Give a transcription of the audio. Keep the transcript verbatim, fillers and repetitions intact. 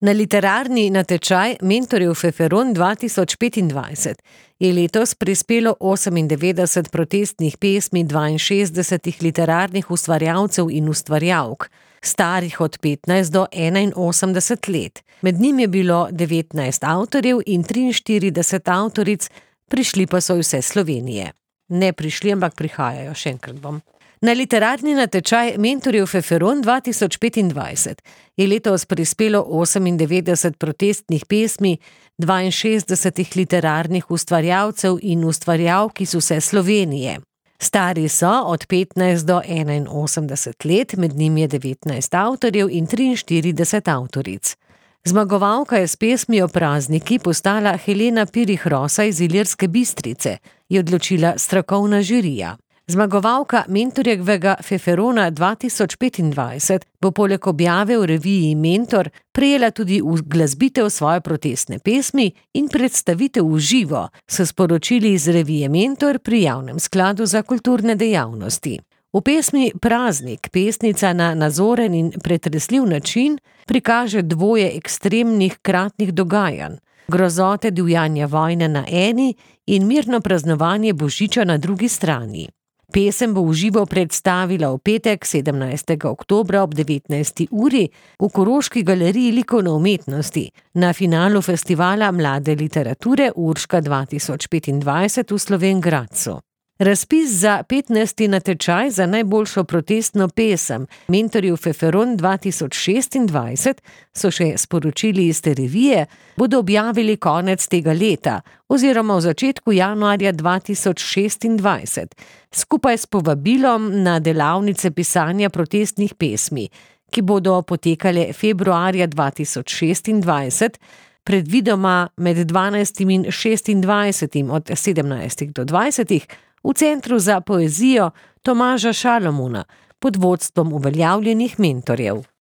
Na literarni natečaj Mentorjev feferon dva tisoč petindvajset je letos prispelo osemindevetdeset protestnih pesmi dvainšestdesetih literarnih ustvarjalcev in ustvarjalk, starih od petnajst do enainosemdeset let. Med njimi je bilo devetnajst avtorjev in triinštirideset avtoric, prišli pa so vse Slovenije. Ne prišli, ampak prihajajo, še enkrat bom. Na literarni natečaj Mentorjev feferon dva tisoč petindvajset je letos prispelo osemindevetdeset protestnih pesmi dvainšestdesetih literarnih ustvarjalcev in ustvarjalk iz vse Slovenije. Stari so od petnajst do enainosemdeset let, med njimi je devetnajst avtorjev in triinštirideset avtoric. Zmagovalka je s pesmijo Prazniki postala Helena Pirih Rosa iz Ilirske Bistrice, je odločila strokovna žirija. Zmagovalka Mentorjevega feferona dva tisoč petindvajset bo poleg objave v reviji Mentor prejela tudi uglasbitev svoje protestne pesmi in predstavitev v živo, so sporočili iz revije Mentor pri Javnem skladu za kulturne dejavnosti. V pesmi Praznik pesnica na nazoren in pretresljiv način prikaže dvoje ekstremnih kratnih dogajanj, grozote divjanja vojne na eni in mirno praznovanje božiča na drugi strani. Pesem bo v živo predstavila v petek, sedemnajstega oktobra ob devetnajsti uri v Koroški galeriji likovne umetnosti na finalu festivala mlade literature Urška dva tisoč petindvajset v Slovenj Gradcu. Razpis za petnajsti natečaj za najboljšo protestno pesem Mentorjev feferon dva tisoč šestindvajset, so še sporočili iz te revije, bodo objavili konec tega leta oziroma v začetku januarja dva tisoč šestindvajset, skupaj s povabilom na delavnice pisanja protestnih pesmi, ki bodo potekale februarja dva tisoč šestindvajset, predvidoma med dvanajstim in šestindvajsetim od sedemnajstih do dvajsetih, v Centru za poezijo Tomaža Šalamuna pod vodstvom uveljavljenih mentorjev.